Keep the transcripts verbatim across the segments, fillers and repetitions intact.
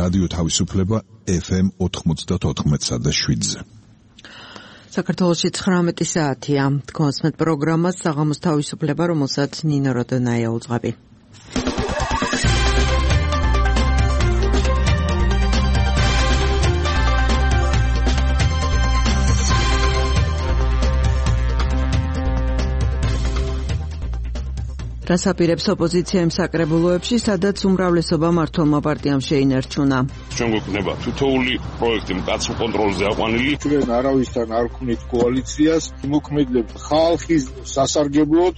რადიო თავისუფლება ეფ ემ ოთხმოცდაოთხ და შვიდზე. საქართველოში ცხრამეტი საათია. თქვენსმეთ პროგრამას საღამოს თავისუფლება, რომელსაც ნინო როდონაია უძღვები. რას აპირებს ოპოზიცია იმ საკრებულოებში, სადაც უმრავლესობა მმართველმა პარტიამ შეინარჩუნა. ჩვენ გვექნება თითოეული პროექტი მკაცრ კონტროლზე აყვანილი. ჩვენ არავისთან არ ვქმნით კოალიციას, მოქმედებთ ხალხის სასარგებლოდ.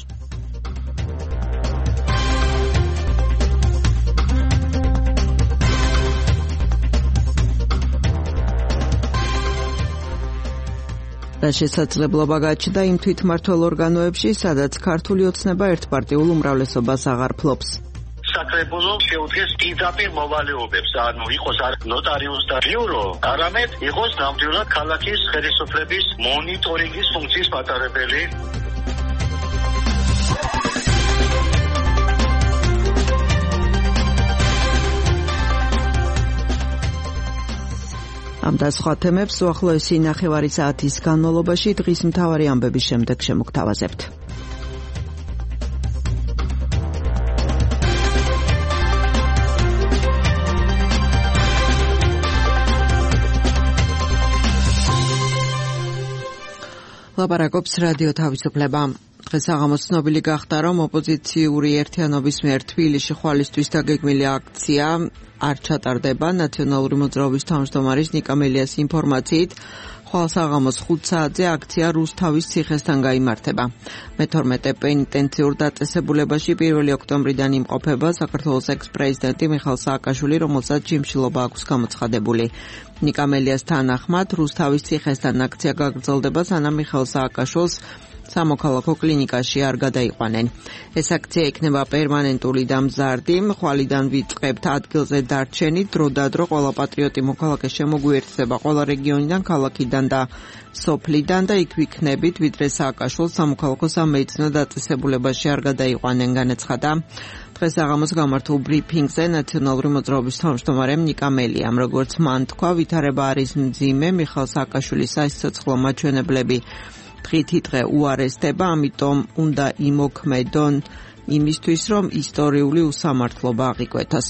და შესაძლებლობა გაჩნდა იმ თვითმმართველ ორგანოებში, სადაც ქართული ოცნება ერთპარტიულ უმრავლესობას აღარ ფლობს. საკრებულო შეუდგეს პირდაპირ მოვალეობებს, ანუ იყოს არ ნოტარიუს და ბიურო, არამედ იყოს ნამდვილად ქალაქის ხელისუფლების მონიტორინგის ფუნქციის მატარებელი. ამ და სხვა თემებს უახლოესი ნახევარი საათის განმავლობაში დღის მთავარი ამბების შემდეგ შემოგთავაზებთ. ლაპარაკობს რადიო თავისუფლება. დღეს საღამოს ცნობილი გახდა, რომ ოპოზიციური ერთიანობის მიერ თბილისში ხვალისთვის დაგეგმილი აქცია არ ჩატარდება. ნაციონალური მოძრაობის თავმჯდომარის ნიკა მელიას ინფორმაციით, ხვალ საღამოს ხუთ საათზე აქცია რუსთავის ციხესთან გაიმართება. მეთორმეტე პენიტენციურ დაწესებულებაში პირველი ოქტომბრიდან იმყოფება საქართველოს ექს-პრეზიდენტი მიხეილ სააკაშვილი, რომელსაც ჯიმშილობა აქვს გამოცხადებული. ნიკა მელიას თანახმად, რუსთავის ციხესთან აქცია გაგრძელდება, სანამ მიხეილ სააკაშვილს სამოქალაქო კლინიკაში არ გადაიყვანენ. ეს აქცია იქნება პერმანენტული და მზარდი. ხვალიდან ვიწყებთ ადგილზე დარჩენი, დროდადრო ყველა პატრიოტი მოქალაქე შემოგვიერთდება ყველა რეგიონიდან, ქალაქიდან და სოფლიდან და იქ ვიქნებით, ვიდრე სააკაშვილს სამოქალაქო სამედიცინო დაწესებულებაში არ გადაიყვანენ, განაცხადა დღეს საღამოს გამართულ ბრიფინგზე ნაციონალური მოძრაობის თავმჯდომარემ ნიკა მელიამ. როგორც მან თქვა, ვითარება არის მძიმე, მიხეილ სააკაშვილის სასიცოცხლო მაჩვენებლები დღითი დღე უარესდება, ამიტომ უნდა იმოქმედონ იმისთვის, რომ ისტორიული უსამართლობა აღიკვეთოს.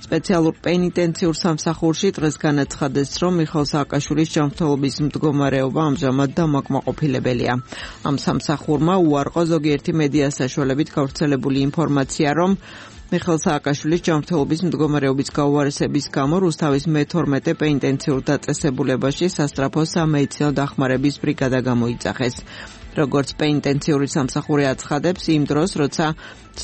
სპეციალურ პენიტენციურ სამსახურში დღეს განაცხადეს, რომ მიხეილ სააკაშვილის ჯანმრთელობის მდგომარეობა ამჟამად დამაკმაყოფილებელია. ამ სამსახურმა უარყო ზოგიერთი მედია საშუალებით გავრცელებული ინფორმაცია, რომ მიხეილ სააკაშვილის ჯანმრთელობის მდგომარეობის გაუარესების გამო რუსთავის მეთორმეტე პენიტენციურ დაწესებულებაში სასწრაფო სამედიცინო დახმარების ბრიგადა გამოიძახეს. როგორც პენიტენციური სამსახური აცხადებს, იმ დროს, როცა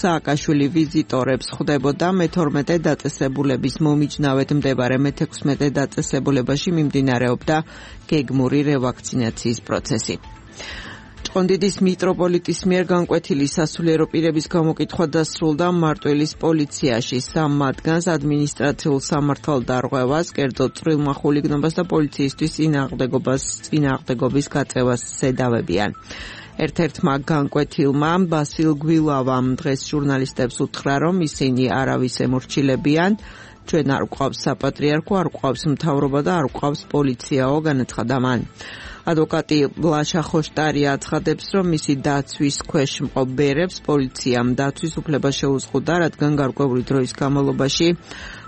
სააკაშვილი ვიზიტორებს ხვდებოდა მეთორმეტე დაწესებულების მომიჯნავედ მდებარე მეთექვსმეტე დაწესებულებაში მიმდინარეობდა გეგმური რევაქცინაციის პროცესი. ჭყონდიდის მიტროპოლიტის მიერ განკვეთილი სასულიერო პირების გამოკითხვა დასრულდა მარტვილის პოლიციაში. სამ მათგანს ადმინისტრაციულ სამართალდარღვევას, კერძოდ წვრილმა ხულიგნობას და პოლიციისთვის წინააღმდეგობას წინააღმდეგობის გაწევას ზედავებიან. ერთ-ერთმა განკვეთილმა ბასილ გვილავამ დღეს ჟურნალისტებს უთხრა, რომ ისინი არავის ემორჩილებიან. ჩვენ არ გვყავს საპატრიარქო, არ გვყავს მთავრობა და არ გვყავს პოლიციაო, განაცხადა მან. ადვოკატი ლაშა ხოშტარია აცხადებს, რომ მისი დაცვის ქვეშ მყოფ ბერებს პოლიციამ დაცვის უფლება შეუზღუდა, რადგან გარკვეული დროის განმავლობაში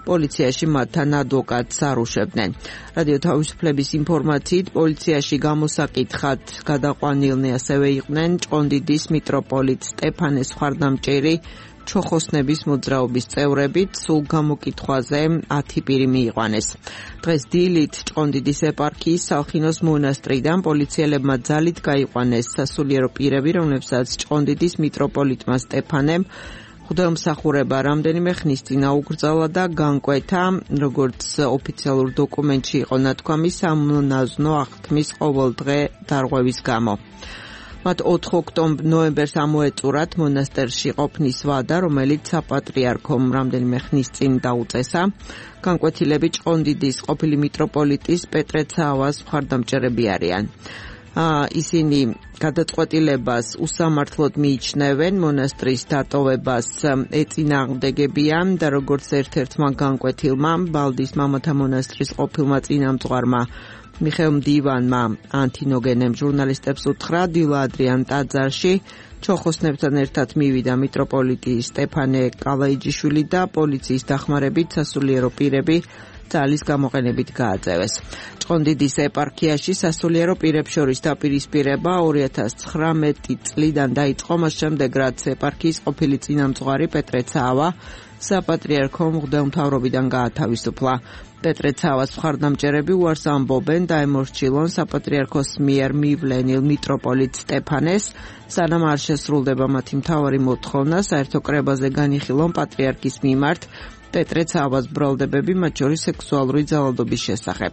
პოლიციაში მათთან ადვოკატს არ უშვებდნენ. რადიო თავისუფლების ინფორმაციით, პოლიციაში გამოსაკითხად გადაყვანილნი ასევე იყვნენ ჭყონდიდის მიტროპოლიტ სტეფანე სხვარდამჭერი, ჩოხოსნების მოძრაობის წევრებით, სულ გამოკითხვაზე ათი პირი მიიყვანეს. დღეს დილით ჭყონდიდის ეპარქიის სალხინოს მონასტრიდან პოლიციელებმა ძალით გაიყვანეს სასულიერო პირები, რომლებსაც ჭყონდიდის მიტროპოლიტმა სტეფანემ ღვთაემსახურება რამდენიმე ხნის წინ აუკრძალა და განკვეთა, როგორც ოფიციალურ დოკუმენტში იყო ნათქვამი, სამონაზვნო აღთქმის ყოველდღე დარღვევის გამო. მათ ოთხ ნოემბერს ამოეწურათ მონასტერში ყოფნის ვადა, რომელიც საპატრიარქომ რამდენიმე ხნის წინ დაუწესა. განკვეთილები ჭყონდიდის ყოფილი მიტროპოლიტის პეტრე ცაავას მხარდამჭერები არიან. ისინი გადაწყვეტილებას უსამართლოდ მიიჩნევენ, მონასტრის დატოვებას ეწინააღმდეგებიან და როგორც ერთ-ერთმა განკვეთილმა ბალდის მამათა მონასტრის ყოფილმა წინამძღვარმა მიხეილ მდივანმა ანთინოგენემ ჟურნალისტებს უთხრა, დილა ადრიან ტაძარში ჩოხოსნებთან ერთად მივიდა მიტროპოლიტი სტეფანე კალაიჯიშვილი და პოლიციის დახმარებით სასულიერო პირები ძალის გამოყენებით გააძევეს. ჭყონდიდის ეპარქიაში სასულიერო პირებს შორის დაპირისპირება ორი ათას ცხრამეტი წლიდან დაიწყო, მას შემდეგ რაც ეპარქიის ყოფილი წინამძღვარი პეტრე ცაავა საპატრიარქო მღვდელმთავრობიდან გაათავისუფლა. პეტრე ცაავას მხარდამჭერები უარს ამბობენ დაემორჩილონ საპატრიარქოს მიერ მივლენილ მიტროპოლიტ სტეფანეს, სანამ არ შესრულდება მათი მთავარი მოთხოვნა საერთო კრებაზე განიხილონ პატრიარქის მიმართ პეტრე ცაავას ბრალდებები, მათ შორის სექსუალური ძალადობის შესახებ.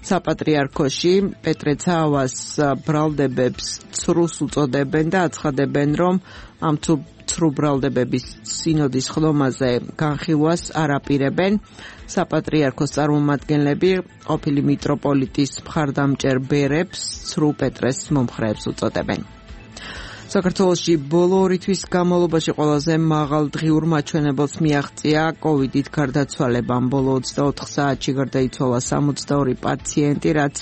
საპატრიარქოში პეტრე ცაავას ბრალდებებს ცრუს უწოდებენ და აცხადებენ, რომ ამ ცრუ ბრალდებების სინოდის ხდომაზე განხილვას არ აპირებენ. საპატრიარქოს წარმომადგენლები ყოფილი მიტროპოლიტის მხარდამჭერ ბერებს ცრუ პეტრეს მომხრეებს უწოდებენ. საქართველოში ბოლო ორი თვის განმავლობაში ყველაზე მაღალ დღიურ მაჩვენებელს მიაღწია კოვიდით გარდაცვალებამ. ბოლო ოცდაოთხ საათში გარდაიცვალა სამოცდაორი პაციენტი, რაც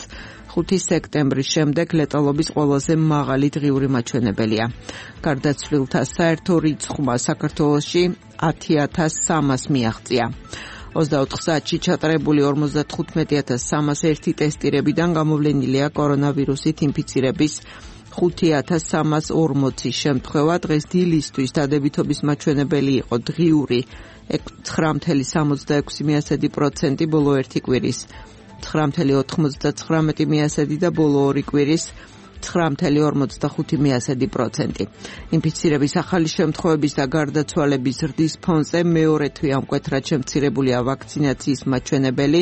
ხუთი სექტემბრის შემდეგ ლეტალობის ყველაზე მაღალი დღიური მაჩვენებელია. გარდაცვლილთა საერთო რიცხვმა საქართველოში ათი ათას სამას მიაღწია. ოცდაოთხ საათში ჩატარებული ორმოცდათხუთმეტი ათას სამას ერთი ტესტირებიდან გამოვლენილია კორონავირუსით ინფიცირების ხუთი ათას სამას ორმოცი შემთხვევა. დღეს დილისთვის დადებითობის მაჩვენებელი იყო დღიური ცხრა ათეული სამოცდაექვსი პროცენტი ბოლო ერთი კვირის, ცხრა ათეული ოთხმოცდაცხრამეტი და ბოლო ორი კვირის ცხრა ათეული ორმოცდახუთი პროცენტი. ინფიცირების ახალი შემთხვევების და გარდაცვალების ზრდის ფონზე მეორე თვე ამკვეთრად შემცირებულია ვაქცინაციის მაჩვენებელი.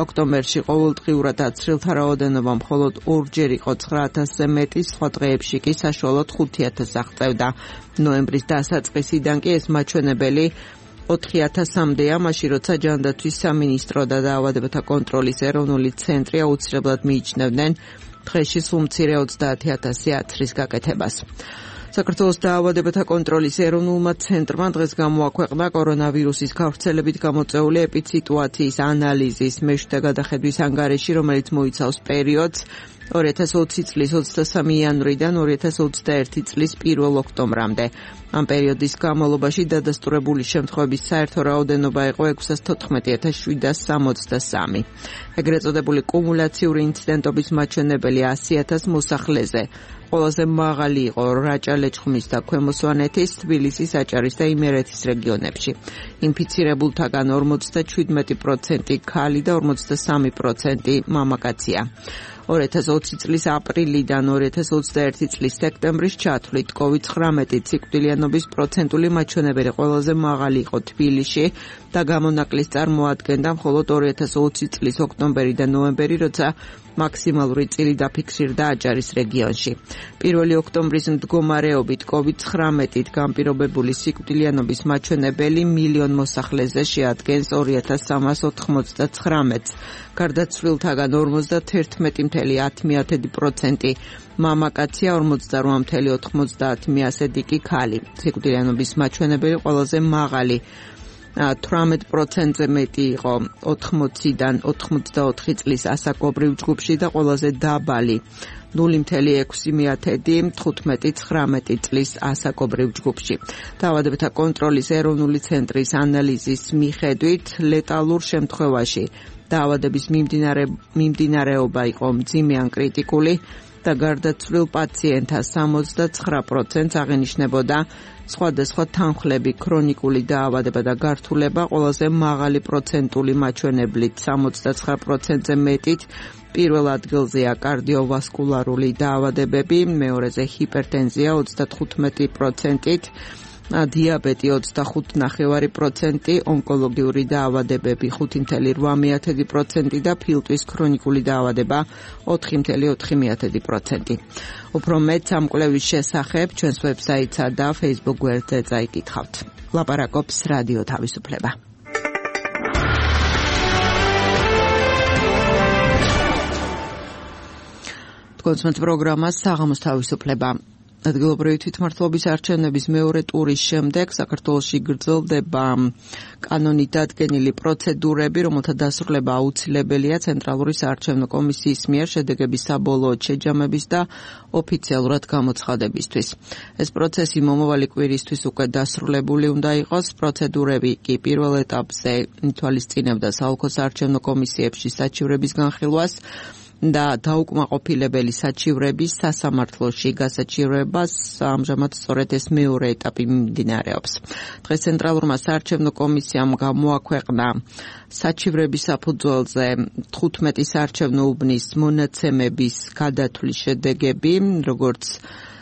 ოქტომბერში ყოველდღიურად აცრილთა რაოდენობა მხოლოდ ორჯერ იყო ცხრა ათასზე მეტი, სხვა დღეებში კი საშუალოდ ხუთი ათასს აღწევდა. ნოემბრის დასაწყისიდან კი ეს მაჩვენებელი ოთხი ათასამდეა, მაშინ როცა ჯანდაცვის სამინისტრო და დაავადებათა კონტროლის ეროვნული ცენტრი აუცილებლად მიიჩნევდნენ დღეში სულ მცირე ოცდაათი ათასი აცრის გაკეთებას. საქართველოს დაავადებათა კონტროლის ეროვნულმა ცენტრმა დღეს გამოაქვეყნა კორონავირუსის გავრცელებით გამოწვეული ეპიდსიტუაციის ანალიზის მეშვიდე გადახედვის ანგარიში, რომელიც მოიცავს პერიოდს ორი ათას ოცი წლის ოცდასამი იანვრიდან ორი ათას ოცდაერთი წლის პირველ ოქტომბრამდე. ამ პერიოდის განმავლობაში დადასტურებული შემთხვევების საერთო რაოდენობა იყო ექვსას თოთხმეტი ათას შვიდას სამოცდასამი. ეგრეთ წოდებული კუმულაციური ინციდენტობის მაჩვენებელი ასი ათას მოსახლეზე. ყველაზე მაღალი იყო რაჭა-ლეჩხუმის და ქვემო სვანეთის, თბილისის, აჭარის და იმერეთის რეგიონებში. ინფიცირებულთაგან ორმოცდაჩვიდმეტი პროცენტი ქალი და ორმოცდასამი პროცენტი მამაკაცია. ორი ათას ოცი წლის აპრილიდან ორი ათას ოცდაერთი წლის სექტემბრის ჩათვლით კოვიდ ცხრამეტი სიკვდილიანობის პროცენტული მაჩვენებელი ყველაზე მაღალი იყო თბილისში და გამონაკლის წარმოადგენდა მხოლოდ ორი ათას ოცი წლის ოქტომბერი და ნოემბერი, როცა მაქსიმალური წილი დაფიქსირდა აჭარის რეგიონში. პირველი ოქტომბრის მდგომარეობით კოვიდ ცხრამეტით განპირობებული სიკვდილიანობის მაჩვენებელი მილიონ მოსახლეზე შეადგენს ორი ათას სამას ოთხმოცდაცხრამეტს. გარდაცვლილთაგან ორმოცდათერთმეტი ათეული ათი პროცენტი მამაკაცია, ორმოცდარვა ათეული ოთხმოცდაათი კი ქალი. სიკვდილიანობის მაჩვენებელი ყველაზე მაღალი თვრამეტ პროცენტზე მეტი იყო ოთხმოციდან ოთხმოცდაოთხი წლის ასაკობრივ ჯგუფში და ყველაზე დაბალი ნული ათეული ექვსი თხუთმეტი ცხრამეტი წლის ასაკობრივ ჯგუფში. დაავადებათა კონტროლის ეროვნული ცენტრის ანალიზის მიხედვით ლეტალურ შემთხვევაში დაავადების მიმდინარეობა იყო მძიმე ან კრიტიკული და გარდაცვლილ პაციენტთა სამოცდაცხრა პროცენტს აღენიშნებოდა სხვადასხვა თანხლები, ქრონიკული დაავადება და გართულება ყველაზე მაღალი პროცენტული მაჩვენებლით სამოცდაცხრა პროცენტზე მეტით. პირველ ადგილზეა კარდიოვასკულარული დაავადებები, მეორეზე ჰიპერტენზია ოცდათხუთმეტი პროცენტით, დიაბეტი ოცდახუთი ნახევარი პროცენტი, ონკოლოგიური დაავადებები ხუთი ათეული რვა პროცენტი და ფილტვის ქრონიკული დაავადება ოთხი ათეული ოთხი პროცენტი. უფრო მეტ ამ კვლევის შესახებ ჩვენს ვებსაიტსა და Facebook გვერდზე წაიკითხავთ. ლაპარაკობს რადიო თავისუფლება. კონსმეთ პროგრამას საღამოს თავისუფლება. ადგილობრივი თვითმმართველობის არჩევნების მეორე ტურის შემდეგ საქართველოში გრძელდება კანონით დადგენილი პროცედურები, რომელთა დასრულება აუცილებელია ცენტრალური საარჩევნო კომისიის მიერ შედეგების საბოლოო შეჯამების და ოფიციალურად გამოცხადებისთვის. ეს პროცესი მომავალი კვირისთვის უკვე დასრულებული უნდა იყოს. პროცედურები კი პირველ ეტაპზე ითვალისწინებდა საოლქო საარჩევნო კომისიებში საჩივრების განხილვას და დაუკმაყოფილებელი საჩივრების სასამართლოში გასაჩივრებას. ამჟამად სწორედ ეს მეორე ეტაპი მიმდინარეობს. დღეს ცენტრალურმა საარჩევნო კომისიამ გამოაქვეყნა საჩივრების საფუძველზე თხუთმეტი საარჩევნო უბნის მონაცემების გადათვლის შედეგები, როგორც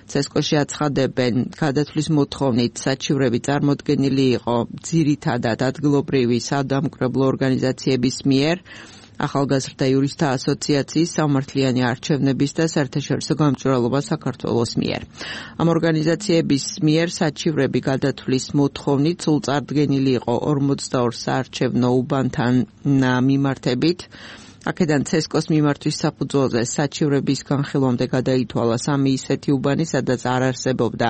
ცესკოში აცხადებენ, გადათვლის მოთხოვნით საჩივრები წარმოდგენილი იყო ძირითადად ადგილობრივი სადამკვირვებლო ორგანიზაციების მიერ, ახალგაზრდა იურისტთა ასოციაციის, სამართლიანი არჩევნების და საერთაშორისო გამჭვირვალობა საქართველოს მიერ. ამ ორგანიზაციების მიერ საჩივრები გადათვლის მოთხოვნით სულწარდგენილი იყო ორმოცდაორ საარჩევნო უბანთან მიმართებით. აქედან ცესკოს მიმართვის საფუძველზე საჩივრების განხილვამდე გადაითვალა სამი ისეთი უბანი, სადაც არ არსებობდა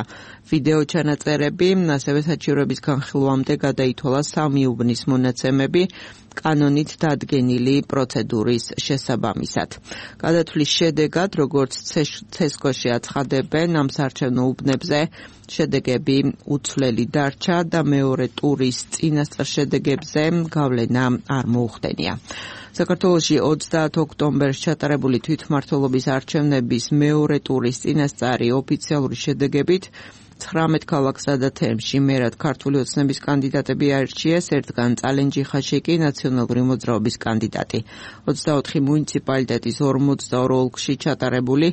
ვიდეო ჩანაწერები, ასევე საჩივრების განხილვამდე გადაითვალა სამი უბნის მონაცემები კანონით დადგენილი პროცედურის შესაბამისად. გადათვლის შედეგად, როგორც ცესკოში აცხადებენ, ამ საარჩევნო უბნებზე შედეგები უცვლელი დარჩა და მეორე ტურის წინასწარ შედეგებზე გავლენა არ მოუხდენია. საქართველოში ოცდაათ ოქტომბერს ჩატარებული თვითმმართველობის არჩევნების მეორე ტურის წინასწარი ოფიციალური შედეგებით ცხრამეტ ქალაქსა და თემში მერად ქართული ოცნების კანდიდატები აირჩიეს, ერთგან წალენჯიხაში კი ნაციონალური მოძრაობის კანდიდატი. ოცდაოთხი მუნიციპალიტეტის ორმოცდაორ ოლქში ჩატარებული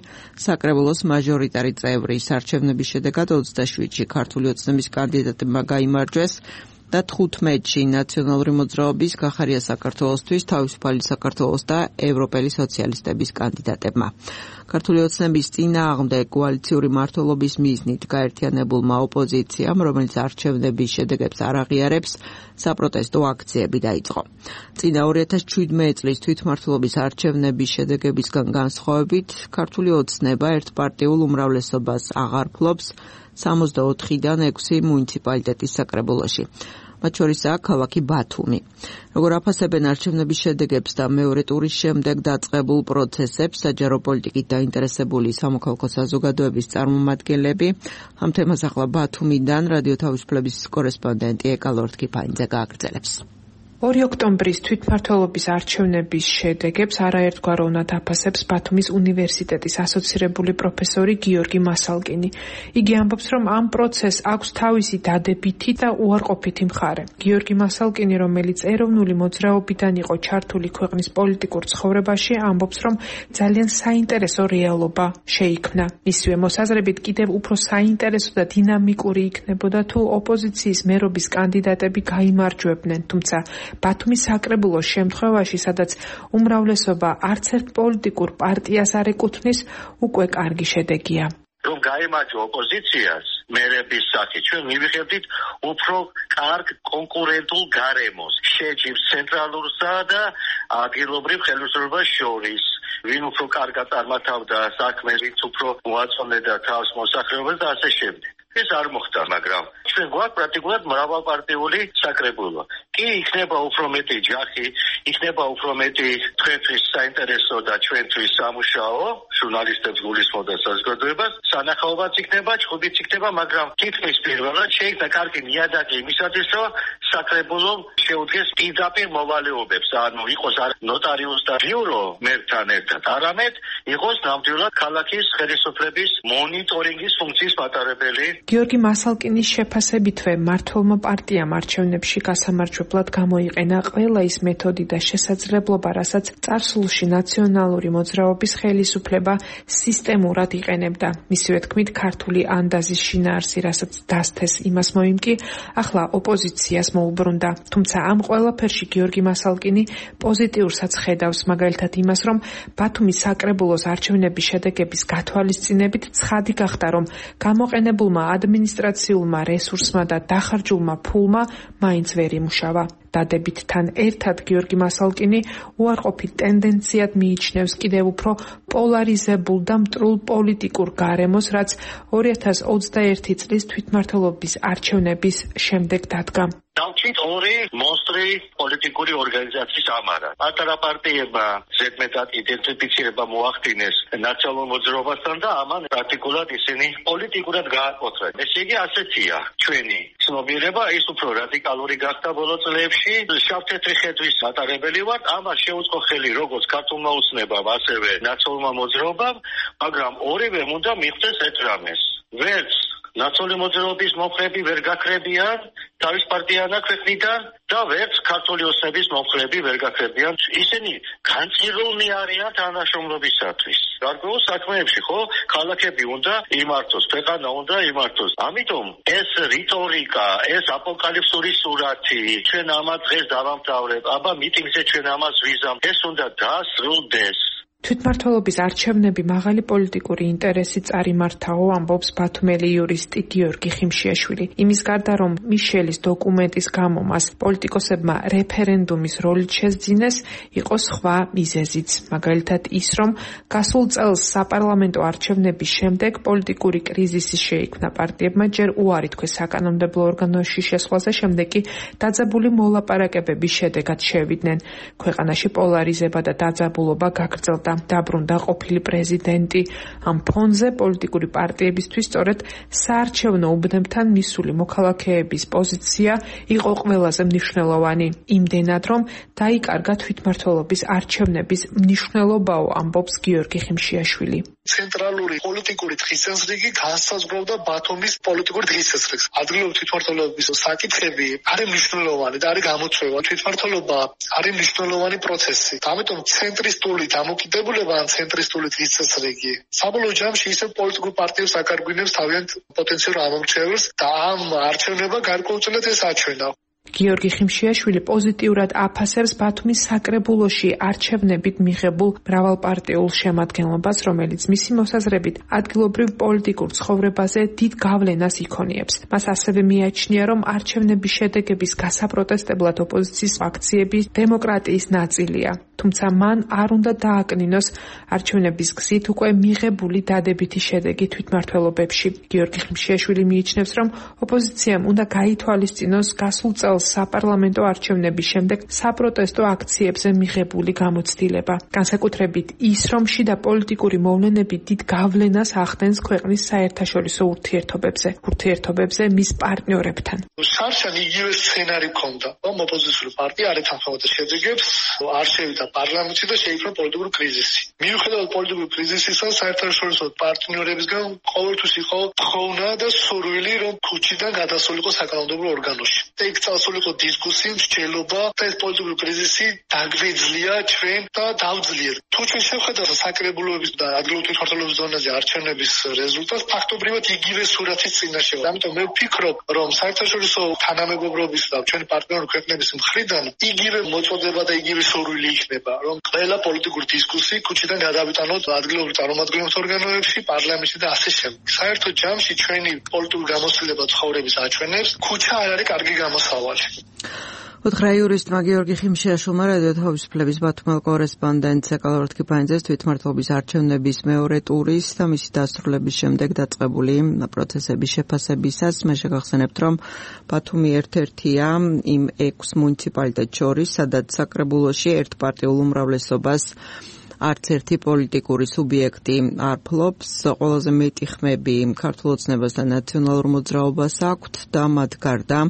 საკრებულოს მაჟორიტარი წევრის არჩევნების შედეგად ოცდაშვიდში ქართული ოცნების კანდიდატებმა გაიმარჯვეს და თხუთმეტში ნაციონალური მოძრაობის გახარია საქართველოსთვის, თავისუფალი საქართველოს და ევროპელი სოციალისტების კანდიდატებმა. ქართული ოცნების წინააღმდეგ კოალიციური მმართველობის მიზნით გაერთიანებულმა ოპოზიციამ, რომელიც არჩევნების შედეგებს არ აღიარებს, საპროტესტო აქციები დაიწყო. წინა ორი ათას შვიდმეტი წლის თვითმმართველობის არჩევნების შედეგებისგან განსხვავებით, ქართული ოცნება ერთპარტიულ უმრავლესობას აღარ ფლობს სამოცდაოთხიდან ექვსი მუნიციპალიტეტის საკრებულოში. მათ შორისაა ქალაქი ბათუმი. როგორ აფასებენ არჩევნების შედეგებს და მეორე ტურის შემდეგ დაწყებულ პროცესებს საჯარო პოლიტიკით დაინტერესებული სამოქალაქო საზოგადოების წარმომადგენლები, ამ თემას ახლა ბათუმიდან რადიო თავისუფლების კორესპონდენტი ეკალორთქიფანიძე გააგრძელებს. ორი ოქტომბრის თვითმმართველობის არჩევნების შედეგებს არაერთგვაროვნად აფასებს ბათუმის უნივერსიტეტის ასოცირებული პროფესორი გიორგი მასალკინი. იგი ამბობს, რომ ამ პროცესს აქვს თავისი დადებითი და უარყოფითი მხარე. გიორგი მასალკინი, რომელიც ეროვნული მოძრაობიდან იყო ჩართული ქვეყნის პოლიტიკურ ცხოვრებაში, ამბობს, რომ ძალიან საინტერესო რეალობა შეიქმნა. მისივე მოსაზრებით კიდევ უფრო საინტერესო და დინამიკური იქნებოდა თუ ოპოზიციის მერობის კანდიდატები გაიმარჯვებდნენ, თუმცა ბათუმის საკრებულოს შემთხვევაში, სადაც უმრავლესობა არც ერთ პოლიტიკურ პარტიას არ ეკუთვნის, უკვე კარგი შედეგია. რომ გაიმარჯვა ოპოზიციას მერების სახით, ჩვენ მივიღებდით უფრო კარგ კონკურენტულ გარემოს, შეჯიბს ცენტრალურსა და ადგილობრივ ხელისუფლებას შორის. ვინ უფრო კარგად წარმართავდა საქმეს, ვინც უფრო მოაწონებდა თავს მოსახლეობას და ასე შემდეგ. ეს არ მოხდა, მაგრამ ჩვენ გვაქვს პრაქტიკულად მრავალპარტიული საკრებულო. კი იქნება უფრო მეტი ჯახი, იქნება უფრო მეტი თქვენთვის საინტერესო და ჩვენთვის სამუშაო, ჟურნალისტებს გულისხმობ და საზოგადოებას, სანახაობაც იქნება, ჭხუბიც იქნება, მაგრამ თითქმის პირველად შეიქმნა კარგი ნიადაგი იმისათვის, რომ საკრებულო შეუდგეს პირდაპირ მოვალეობებს, ანუ იყოს არ ნოტარიუს და ბიურო მერთან ერთად, არამედ იყოს ნამდვილად ქალაქის ხელისუფლების მონიტორინგის ფუნქციის მატარებელი. გიორგი მასალკინის შეფასებითვე მმართველმა პარტიამ არჩევნებში გასამარჯვებლად გამოიყენა ყველა ის მეთოდი და შესაძლებლობა, რასაც წარსულში ნაციონალური მოძრაობის ხელისუფლება სისტემურად იყენებდა. მისივე თქმით, ქართული ანდაზის შინაარსი, რასაც დასთეს იმას მოიმკი, ახლა ოპოზიციას მოუბრუნდა. თუმცა ამ ყველაფერში გიორგი მასალკინი პოზიტიურსაც ხედავს, მაგალითად იმას, რომ ბათუმის საკრებულოს არჩევნების შედეგების გათვალისწინებით ცხადი გახდა, რომ გამოყენებულმა ადმინისტრაციულმა რესურსმა და დახარჯულმა ფულმა მაინც ვერ იმუშავა. დადებითთან ერთად გიორგი მასალკინი უარყოფით ტენდენციად მიიჩნევს კიდევ უფრო პოლარიზებულ და მტრულ პოლიტიკურ გარემოს, რაც ორი ათას ოცდაერთი წლის თვითმმართველობის არჩევნების შემდეგ დადგა. დავჭით ორი მონსტრი პოლიტიკური ორგანიზაციის ამარა. პატარა პარტიებმა ზედმეტად იდენტიფიცირება მოახდინეს ნაციონალურ მოძრაობასთან და ამან პრაქტიკულად ისინი პოლიტიკურად გააკოტრეს. ესე იგი ასეთია ჩვენი ცნობიერება, ის უფრო რადიკალური გახდა ბოლო წლებში. შავ-თეთრი ხედვის მატარებელი ვართ, ამას შეუწყო ხელი როგორც ქართულმა ოცნებამ, ასევე ნაციონალურმა მოძრაობამ, მაგრამ ორივე უნდა მიხვდეს ერთ რამეს. ვერც ნაციონალური მოძრაობის მომხრეები ვერ გაქრებიან თავის პარტიანა ქვეყნიდან და ვერც ქართული ოცნების მომხრეები ვერ გაქრებიან. ისინი განწირულნი არიან თანაშრომლობისათვის. გარკვეულ საქმეებში ხო ქალაქები უნდა იმართოს, ქვეყანა უნდა იმართოს. ამიტომ ეს რიტორიკა, ეს აპოკალიფსური სურათი, ჩვენ ამას დღეს დავამთავრებ, აბა მიტინგზე ჩვენ ამას ვიზამ, ეს უნდა დასრულდეს. თვითმმართველობის არჩევნები მაღალი პოლიტიკური ინტერესით წარიმართაო, ამბობს ბათუმელი იურისტი გიორგი ხიმშიაშვილი. იმის გარდა, რომ მიშელის დოკუმენტის გამო მას პოლიტიკოსებმა რეფერენდუმის როლით შესძინეს, იყო სხვა მიზეზიც. მაგალითად ის, რომ გასულ წელს საპარლამენტო არჩევნების შემდეგ პოლიტიკური კრიზისი შეიქმნა პარტიებმა, ჯერ უარი თქვეს საკანონმდებლო ორგანოში შესვლაზე, შემდეგ კი დაძაბული მოლაპარაკებების შედეგად შევიდნენ. ქვეყანაში პოლარიზება და დაძაბულობა გაგრძელდა. დაბრუნდა ყოფილი პრეზიდენტი. ამ ფონზე პოლიტიკური პარტიებისთვის სწორედ საარჩევნო უბნებთან მისული მოქალაქეების პოზიცია იყო ყველაზე მნიშვნელოვანი. იმდენად, რომ დაიკარგა თვითმმართველობის არჩევნების მნიშვნელობაო, ამბობს გიორგი ხიმშიაშვილი. ცენტრალური პოლიტიკური დღესასრიგი განსაზღვრავდა ბათუმის პოლიტიკური დღესასრიგს. ადგილობრივი თვითმმართველობის საკითხები არის მნიშვნელოვანი და არის გამოწვევა. თვითმმართველობა არის მნიშვნელოვანი პროცესი. ამიტომ ცენტრისტული დამოკიდებულება ან ცენტრისტული დღესასრიგი საბოლოო ჯამში ისევ პოლიტიკურ პარტიებს აკარგვინებს თავიანთ პოტენციურ ამომრჩეველს და ამ არჩევნება გარკვეულწილად ეს აჩვენა. გიორგი ხიმშიაშვილი პოზიტიურად აფასებს ბათუმის საკრებულოში არჩევნებით მიღებულ მრავალპარტიულ შემადგენლობას, რომელიც მისი მოსაზრებით ადგილობრივ პოლიტიკურ ცხოვრებაზე დიდ გავლენას იქონიებს. მას ასევე მიაჩნია, რომ არჩევნების შედეგების გასაპროტესტებლად ოპოზიციის აქციები დემოკრატიის ნაწილია. თუმცა მან არ უნდა დააკნინოს არჩევნების გზით უკვე მიღებული დადებითი შედეგი თვითმმართველობებში. გიორგი ხიმშიაშვილი მიიჩნევს, რომ ოპოზიციამ უნდა გაითვალისწინოს გასულ წელს საპარლამენტო არჩევნების შემდეგ საპროტესტო აქციებზე მიღებული გამოცდილება. განსაკუთრებით ის, რომ შიდა პოლიტიკური მოვლენები დიდ გავლენას ახდენს ქვეყნის საერთაშორისო ურთიერთობებზე, ურთიერთობებზე მის პარტნიორებთან. შარშან იგივე სცენარი ჰქონდა, რომ ოპოზიციური პარტია არ ეთანხმებოდა შედეგებს, არ შევიდა პარლამენტში და შეიქმნა პოლიტიკური კრიზისი. მიუხედავად პოლიტიკური კრიზისისა, საერთაშორისო პარტნიორებისგან ყოველთვის იყო თხოვნა და სურვილი, რომ ქუჩიდან გადასულიყო საკანონმდებლო ორგანოში. და იქ წასულიყო დისკუსია, მსჯელობა და ეს პოლიტიკური კრიზისი დაგვეძლია ჩვენ და დავძლიერ. თუ ჩვენ შევხედავთ საკრებულოების და ადგილობრივი თვითმმართველობის ზონაზე არჩევნების რეზულტატს, ფაქტობრივად იგივე სურათის წინაშეა. ამიტომ მე ვფიქრობ, რომ საერთაშორისო თანამეგობრობის და ჩვენი პარტნიორი ქვეყნების მხრიდან იგივე მოწოდება და იგივე სურვილი იქნება, რომ ყველა პოლიტიკური დისკუსია ქუჩიდან გადავიტანოთ ადგილობრივ წარმომადგენლობთ ორგანოებში, პარლამენტში და ასე შემდეგ. საერთო ჯამში ჩვენი პოლიტიკური გამოცდილება ცხოვრების აჩვენებს, ქუჩა არ არის კარგი გამოსავალი. უთხრა იურისტმა გიორგი ხიმშიაშვილმა რადიო თავისუფლების ბათუმელ კორესპონდენტს ეკალორთქიფანიძეს თვითმმართველობის არჩევნების მეორე ტურის და მისი დასრულების შემდეგ დაწყებული პროცესების შეფასებისას. მე შეგახსენებთ, რომ ბათუმი ერთ-ერთია იმ ექვს მუნიციპალიტეტს შორის, სადაც საკრებულოში ერთპარტიულ უმრავლესობას არც ერთი პოლიტიკური სუბიექტი არ ფლობს. ყველაზე მეტი ხმები ქართულ ოცნებას და ნაციონალურ მოძრაობას აქვთ და მათ გარდა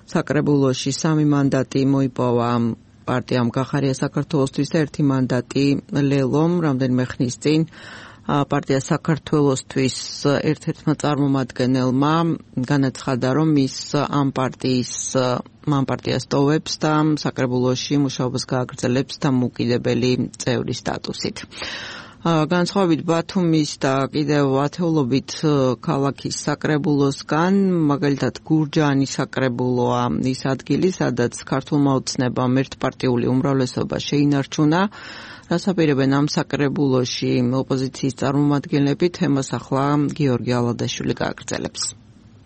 საკრებულოში სამი მანდატი მოიპოვა პარტიამ გახარია საქართველოსთვის და ერთი მანდატი ლელომ რამდენიმე ხნის წინ პარტია საქართველოსთვის ერთ-ერთმა წარმომადგენელმა განაცხადა, რომ ის ამ პარტიის მან პარტიას ტოვებს და საკრებულოში მუშაობას გააგრძელებს დამოუკიდებელი წევრის სტატუსით. განსხვავებით ბათუმის და კიდევ ათეულობით ქალაქის საკრებულოსგან, მაგალითად გურჯაანის საკრებულოა ის ადგილი, სადაც ქართულმა ოცნებამ ერთპარტიული უმრავლესობა შეინარჩუნა, რაც აპირებენ ამ საკრებულოში ოპოზიციის წარმომადგენლები. თემას ახლა გიორგი ალადაშვილი გააგრძელებს.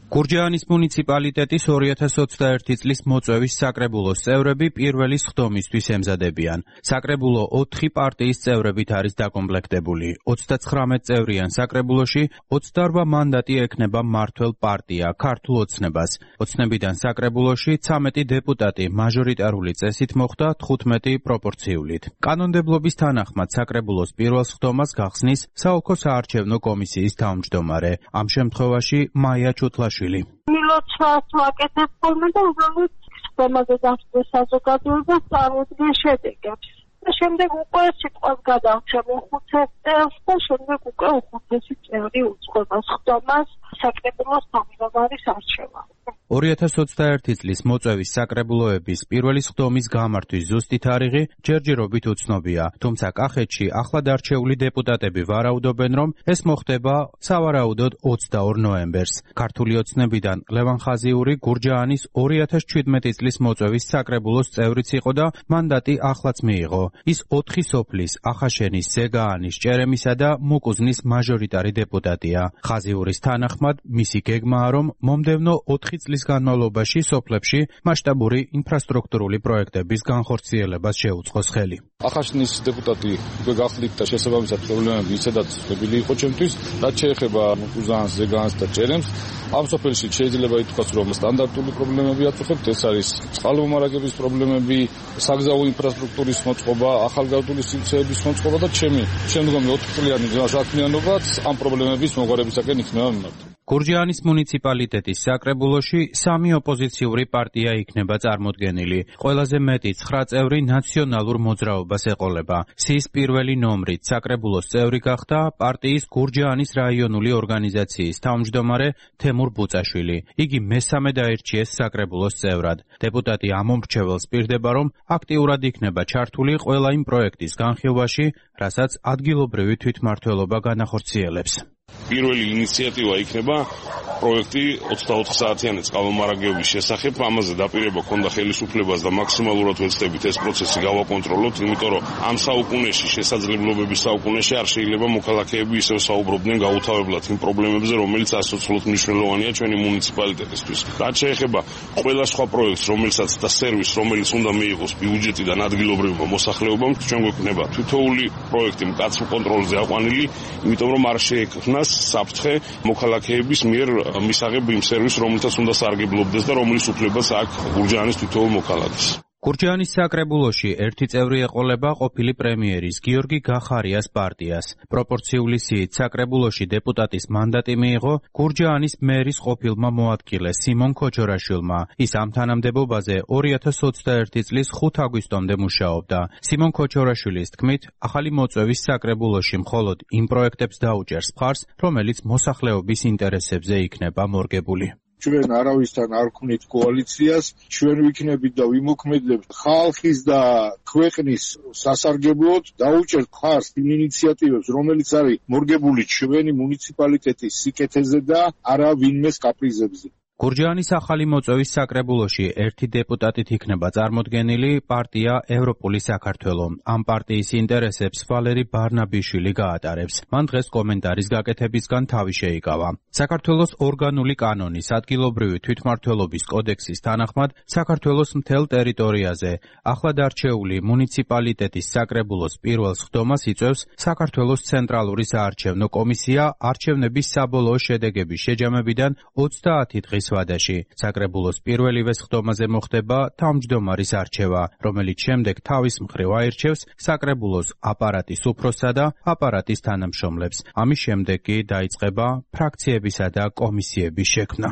გურჯაანის მუნიციპალიტეტის ორი ათას ოცდაერთი წლის მოწვევის საკრებულოს წევრები პირველი სხდომისთვის ემზადებიან. საკრებულო ოთხი პარტიის წევრებით არის დაკომპლექტებული. ოცდაცხრამეტ წევრიან საკრებულოში ოცდაორვა მანდატი ექნება მმართველ პარტია ქართულ ოცნებას. ოცნებიდან საკრებულოში ცამეტი დეპუტატი მაჟორიტარული წესით მოხვდა თხუთმეტი პროპორციულით. კანონმდებლობის თანახმად საკრებულოს პირველ სხდომას გახსნის საოლქო საარჩევნო კომისიის თავმჯდომარე. ამ შემთხვევაში მაია ჩუთლაშვილი მილოცვას ვაკეთებ ხოლმე და უბრალოდ სხდომაზე დასწრების საზოგადოებას წარმოადგენს შედეგებს. და შემდეგ უკვე სიტყვას გადავწევ უხუცეს წელს და შემდეგ უკვე უხუცესი წევრი უძღვება სხდომას საკრებულოს თავმჯდომარის არჩევას. ორი ათას ოცდაერთი წლის მოწვევის საკრებულოების პირველი სხდომის გამართვის ზუსტი თარიღი ჯერჯერობით უცნობია, თუმცა კახეთში ახლად არჩეული დეპუტატები ვარაუდობენ, რომ ეს მოხდება სავარაუდოდ ოცდაორ ნოემბერს. ქართული ოცნებიდან ლევან ხაზიური გურჯაანის ორი ათას შვიდმეტი წლის მოწვევის საკრებულოს წევრიც იყო და მანდატი ახლაც მიიღო. ის ოთხი სოფლის ახაშენის, ზეგაანის, ჭერემისა და მუკუზნის მაჟორიტარი დეპუტატია. ხაზიურის თანახმად მისი გეგმაა, რომ მომდევნო ოთხი წლის განმავლობაში სოფლებში მასშტაბური ინფრასტრუქტურული პროექტების განხორციელებას შეუწყოს ხელი. ახაშნის დეპუტატი უკვე გახლით და შესაბამისად პრობლემები ისედაც ცნობილი იყო ჩემთვის, რაც შეეხება მუკუზანს, ზეგაანს და ჭერემს. ამ სოფელში შეიძლება ითქვას, რომ სტანდარტული პრობლემები აწუხებთ, ეს არის წყალმომარაგების პრობლემები, საგზაო ინფრასტრუქტურის მოწყობა, ახალგაზრდული სივრცეების მოწყობა და ჩემი შემდგომი ოთხწლიანი საქმიანობაც ამ პრობლემების მოგვარებისაკენ იქნება მიმართული. გურჯაანის მუნიციპალიტეტის საკრებულოში სამი ოპოზიციური პარტია იქნება წარმოდგენილი. ყველაზე მეტი ცხრა წევრი ნაციონალურ მოძრაობას ეყოლება. სის პირველი ნომრით საკრებულოს წევრი გახდა პარტიის გურჯაანის რაიონული ორგანიზაციის თავმჯდომარე თემურ ბუწაშვილი. იგი მესამედ აირჩიეს საკრებულოს წევრად. დეპუტატი ამომრჩეველს პირდება, რომ აქტიურად იქნება ჩართული ყველა იმ პროექტის განხილვაში, რასაც ადგილობრივი თვითმმართველობა განახორციელებს. პირველი ინიციატივა იქნება პროექტი ოცდაოთხ საათიანი წყალმომარაგების შესახებ. ამაზე დაპირება ქონდა ხელისუფლებას და მაქსიმალურად ვეცდებით ეს პროცესი გავაკონტროლოთ, იმიტომ რომ ამ საუკუნეში, შესაძლებლობების საუკუნეში არ შეიძლება მოქალაქეები ისევ საუბრობდნენ გაუთავებლად იმ პრობლემებზე, რომელიც ასოცლოდ მნიშვნელოვანია ჩვენი მუნიციპალიტეტისთვის. რაც შეეხება ყველა სხვა პროექტს, რომელსაც და სერვისს, რომელიც უნდა მიიღოს ბიუჯეტიდან ადგილობრივმა მოსახლეობამ, ჩვენ გვექნება თითოეული პროექტი მკაცრ კონტროლზე აყვანილი, იმიტომ რომ არ შეექმნას საფრთხე მოქალაქეების მიერ მისაღებ იმ სერვისს, რომელსაც უნდა სარგებლობდეს და რომლის უფლებას აქვს გურჯაანის თითოეულ მოქალაქეს. გურჯაანის საკრებულოში ერთი წევრი ეყოლება ყოფილი პრემიერის გიორგი გახარიას პარტიას. პროპორციული სიით საკრებულოში დეპუტატის მანდატი მიიღო გურჯაანის მერის ყოფილმა მოადგილე სიმონ ქოჩორაშვილმა. ის ამ თანამდებობაზე ორი ათას ოცდაერთი წლის ხუთ აგვისტომდე მუშაობდა. სიმონ ქოჩორაშვილის თქმით, ახალი მოწვევის საკრებულოში მხოლოდ იმ პროექტებს დაუჭერს მხარს, რომელიც მოსახლეობის ინტერესებზე იქნება მორგებული. ჩვენ არავისთან არ ვქნით კოალიციას, ჩვენ ვიქნებით და ვიმოქმედებთ ხალხის და ქვეყნის სასარგებლოდ, დაუჭერთ მხარს იმ ინიციატივებს, რომელიც არის მორგებული ჩვენი მუნიციპალიტეტის სიკეთეზე და არა ვინმეს კაპრიზებზე. გურჯაანის ახალი მოწვევის საკრებულოში ერთი დეპუტატით იქნება წარმოდგენილი პარტია ევროპული საქართველო. ამ პარტიის ინტერესებს ვალერი ბარნაბიშვილი გაატარებს. მან დღეს კომენტარის გაკეთებისგან თავი შეიკავა. საქართველოს ორგანული კანონის ადგილობრივი თვითმმართველობის კოდექსის თანახმად საქართველოს მთელ ტერიტორიაზე ახლად არჩეული მუნიციპალიტეტის საკრებულოს პირველ სხდომას იწვევს საქართველოს ცენტრალური საარჩევნო კომისია არჩევნების საბოლოო შედეგების შეჯამებიდან ოცდაათი დღის ვადაში. საკრებულოს პირველივე სხდომაზე მოხდება თავმჯდომარის არჩევა, რომელიც შემდეგ თავის მხრივ აირჩევს საკრებულოს აპარატის უფროსსა და აპარატის თანამშრომლებს. ამის შემდეგ კი დაიწყება ფრაქციებისა და კომისიების შექმნა.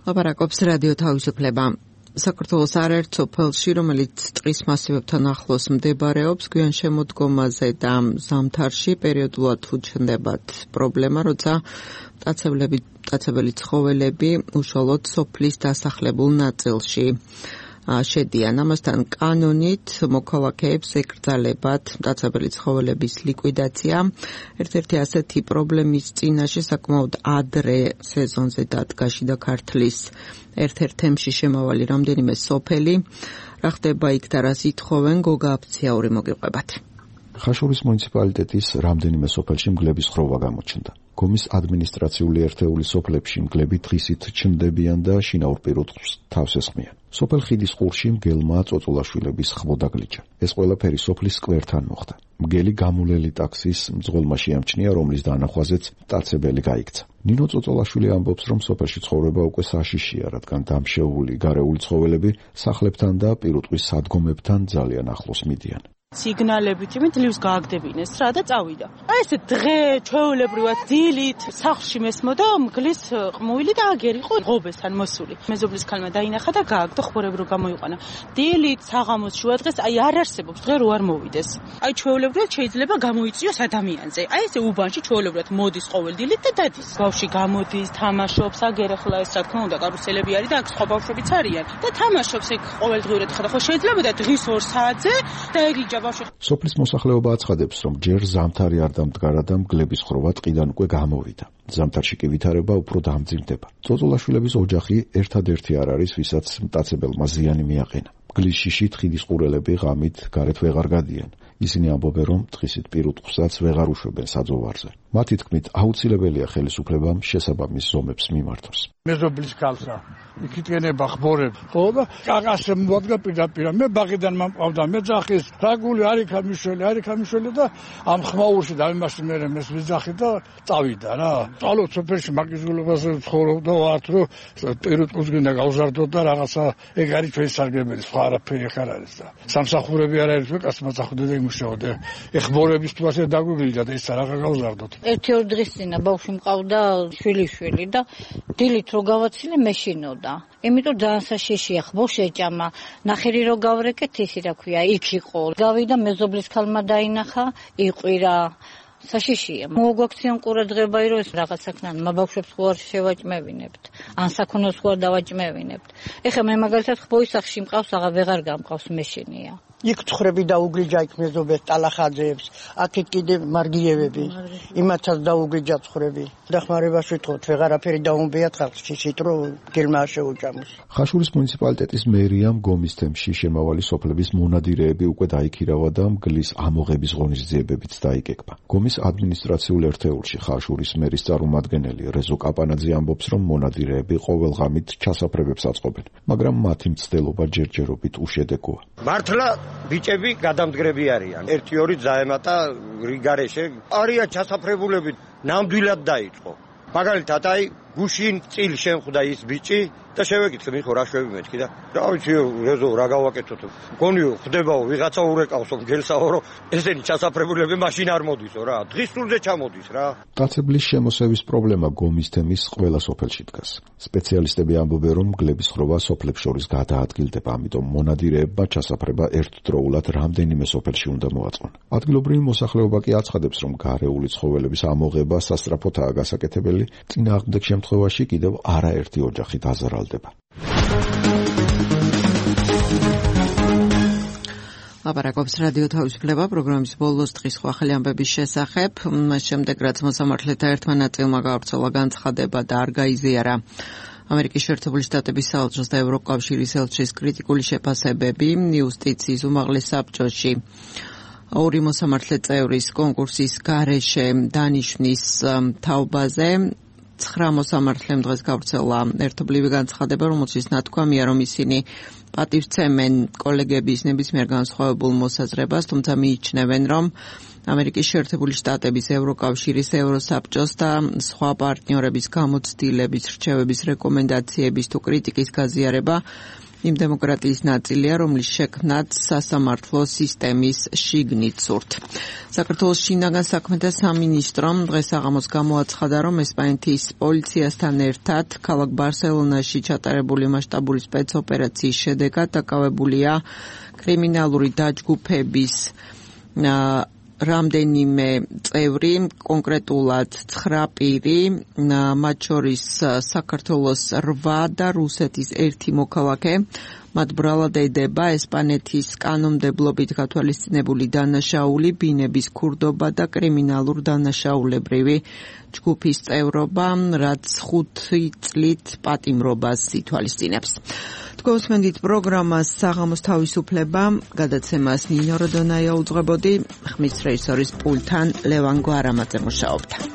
ლაპარაკობს რადიო თავისუფლება. საქართველოს არაერთ სოფელში, რომელიც ტყის მასივებთან ახლოს მდებარეობს, გვიან შემოდგომაზე და ზამთარში პერიოდულად უჩნდებათ პრობლემა, როცა მტაცებლები, მტაცებელი ცხოველები უშუალოდ სოფლის დასახლებულ ნაწილში შედიან. ამასთან კანონით მოქალაქეებს ეკრძალებათ მტაცებელი ცხოველების ლიკვიდაცია. ერთ-ერთი ასეთი პრობლემის წინაშე საკმაოდ ადრე სეზონზე დადგა შიდა ქართლის ერთ-ერთ თემში შემავალი რამდენიმე სოფელი. რა ხდება იქ და რას ითხოვენ, გოგა აფციაური მოგიყვებათ. ხაშურის მუნიციპალიტეტის რამდენიმე სოფელში მგლების ხროვა გამოჩნდა. გომის ადმინისტრაციული ერთეული სოფლებში მგლები დღისით ჩნდებიან და შინაურ პირუტყვს თავს ესხმიან. სოფელ ხიდის ყურში მგელმა წოწოლაშვილების ხმოდა გლიჩა. ეს ყველაფერი სოფლის სკვერთან მოხდა. მგელი გამულელი ტაქსის მძღოლმა შეამჩნია, რომლის დანახვაზეც მტაცებელი გაიქცა. ნინო წოწოლაშვილი ამბობს, რომ სოფელში ცხოვრება უკვე საშიშია, რადგან დამშეული გარეული ცხოველები სახლებთან და პირუტყვის სადგომებთან ძალიან ახლოს მიდიან. სიგნალებით იმით ლივის გააგდებინეს რა და წავიდა. აი ესე დღე ჩვეულებრივად დილით სახლში მესმოდა მგლის ყმუილი და აგერი იყო ღობესთან მოსული. მეზობლის ქალმა დაინახა და გააგდო ხმორები რო გამოიყვანა. დილით საღამოს შუა დღეს აი არ არსებობს დღე რო არ მოვიდეს. აი ჩვეულებრივად შეიძლება გამოიწიოს ადამიანზე. აი ესე უბანში ჩვეულებრივად მოდის ყოველ დილით და დადის. ბავშვი გამოდის, თამაშობს, აგერ ახლა ეს რა თქმა უნდა კარუსელები არის და აქ სხვა ბავშვებიც არიან. და თამაშობს ეგ ყოველდღიურად ხა და ხო შეიძლება და დღის ორ საათზე და ეგ სოფლის მოსახლეობა აცხადებს, რომ ჯერ ზამთარი არ დამდგარა და მგლების ხროვა ტყიდან უკვე გამოვიდა. ზამთარში კი ვითარება უფრო დამძიმდება. წოწოლაშვილების ოჯახი ერთადერთი არ არის, ვისაც მტაცებელმა ზიანი მიაყენა. მგლის შიშით ხიდის ყურელები ღამით გარეთ ვეღარ გადიან. ისინი ამბობენ, რომ დღისით პირუტყვსაც ვეღარ უშვებენ საძოვარზე. მათი თქმით, აუცილებელია ხელისუფლებამ შესაბამის ზომებს მიმართოს. მეზობლის ქალსა იქითენება ხმორები ხო და კაკასე მოადგა პირდაპირ მე ბაღიდან მომყავდა მეძახის რაგული არიქა მიშველი არიქა მიშველი და ამ ხმაურში დავიმასი მე მეს ვიძახი და წავიდა რა წალო სოფელში მაგიზულობაზე ცხოვრობდა ვართ რომ პირუტყვის გინდა გავზარდო და რაღაცა ეგ არის ჩვენი სარგებელი სხვა არაფერი ხარ არის და სამსახურები არ არის კაც მოწახდა და იმუშაობდა ეხმორების თუ ასე დაგვიგლიდა და ის რა გავზარდოთ ერთი ორ დღის წინა ბავშვი მყავდა შვილი შვილი და დილით რო გავაცილე მეშინოდა იმიტომ ძალიან საშიშია ხმო შეჭამა ნახერი რო გავრეკეთ ისი რა ქვია იქ იყო გავიდა მეზობლის ქალმა დაინახა იყვირა საშიშია მოგვაქციან ყურადღება რომ ეს რაღაც საქმეა მაბავშვებს ხო არ შევაჭმევინებთ ან საქონელს ხო არ დავაჭმევინებთ ეხლა მე მაგალითად ხბოის სახლში მყავს აღა ვეღარ გამყავს მეშინია იქ ცხრები დაუგრიჯა იქ მეზობებს ტალახაძეებს აქეთ კიდე მარგიევები იმათაც დაუგრიჯა ცხრები დახმარებას ვითხოვთ ვეღარაფერი დაუმბიათ ხალხში სიტრო გელმა შეუჭამოს ხაშურის მუნიციპალიტეტის მერიამ გომის თემში შემავალი სოფლების მონადირეები უკვე დაიქირავა და მგლის ამოღების ღონისძიებებიც დაიკეკმა გომის ადმინისტრაციულ ერთეულში ხაშურის მერის წარმომადგენელი რეზო კაპანაძე ამბობს რომ მონადირეები ყოველ ღამით ჩასაფრებებს აწყობენ მაგრამ მათი მცდელობა ჯერჯერობით უშედეგოა მართლა ბიჭები გადამდგრები არიან. ერთი ორი ძაემატა რიგარეშე არიან ჩასაფრებულები ნამდვილად დაიწყო. მაგალითად აი გუშინ წილ შემხვდა ის ბიჭი და შევეკითხე მიხო რა შვები მეთქი და რა ვიცი რეზო რა გავაკეთოთ. გონიო ხდებაო ვიღაცა ურეკავსო გელსაო რომ ესენი ჩასაფრებულები მაშინ არ მოდისო რა. დღის სულზე ჩამოდის რა. მტაცებლის შემოსევის პრობლემა გომის თემის ყველა სოფელში დგას. სპეციალისტები ამბობენ რომ მგლების ხროვა სოფლებს შორის გადაადგილდება, ამიტომ მონადირეებმა ჩასაფრება ერთდროულად რამდენიმე სოფელში უნდა მოაწყონ. ადგილობრივი მოსახლეობა კი აცხადებს რომ გარეული ცხოველების ამოღება სასწრაფოთაა გასაკეთებელი, წინააღმდეგ შემთხვევაში კიდევ არაერთი ოჯახი დაზარალდება. ლაპარაკობს რადიო თავისუფლება პროგრამის ბოლოს დღის ახალი ამბების შესახებ. მას შემდეგ რაც მოსამართლეთა ერთმა ნაწილმა გავრცელა განცხადება და არ გაიზიარა ამერიკის შეერთებული შტატების საელჩოს და ევროკავშირის ელჩის კრიტიკული შეფასებები იუსტიციის უმაღლეს საბჭოში. ორი მოსამართლე წევრის კონკურსის გარეშე დანიშვნის თაობაზე ცხრა მოსამართლემ დღეს გავრცელა ერთობლივი განცხადება, რომელშიც ნათქვამია, რომ ისინი პატივცემენ კოლეგების ნებისმიერ განსხვავებულ მოსაზრებას, თუმცა მიიჩნევენ, რომ ამერიკის შეერთებული შტატების ევროკავშირის ევროსაბჭოს და სხვა პარტნიორების გამოცდილების, რჩევების, რეკომენდაციების თუ კრიტიკის გაზიარება იმ დემოკრატიის ნაწილია, რომლის შექმნაც სასამართლო სისტემის შიგნით სურთ. საქართველოს შინაგან საქმეთა სამინისტრომ დღეს საღამოს გამოაცხადა, რომ ესპანეთის პოლიციასთან ერთად ქალაქ ბარსელონაში ჩატარებული მასშტაბური სპეცოპერაციის შედეგად დაკავებულია კრიმინალური დაჯგუფების რამდენიმე წევრი, კონკრეტულად ცხრა პირი, მათ შორის საქართველოს რვა და რუსეთის ერთი მოქალაქე მათ ბრალად ედება ესპანეთის კანონმდებლობით გათვალისწინებული დანაშაული, ბინების ქურდობა და კრიმინალურ დანაშაულებრივი ჯგუფის წევრობა, რაც ხუთი წლით პატიმრობას ითვალისწინებს. თქვენსმენდით პროგრამას საღამოს თავისუფლება, გადაცემას ნინო როდონაია უძღვებოდი, ხმის რეჟისორის პულთან ლევან გვარამაძე მუშაობდა.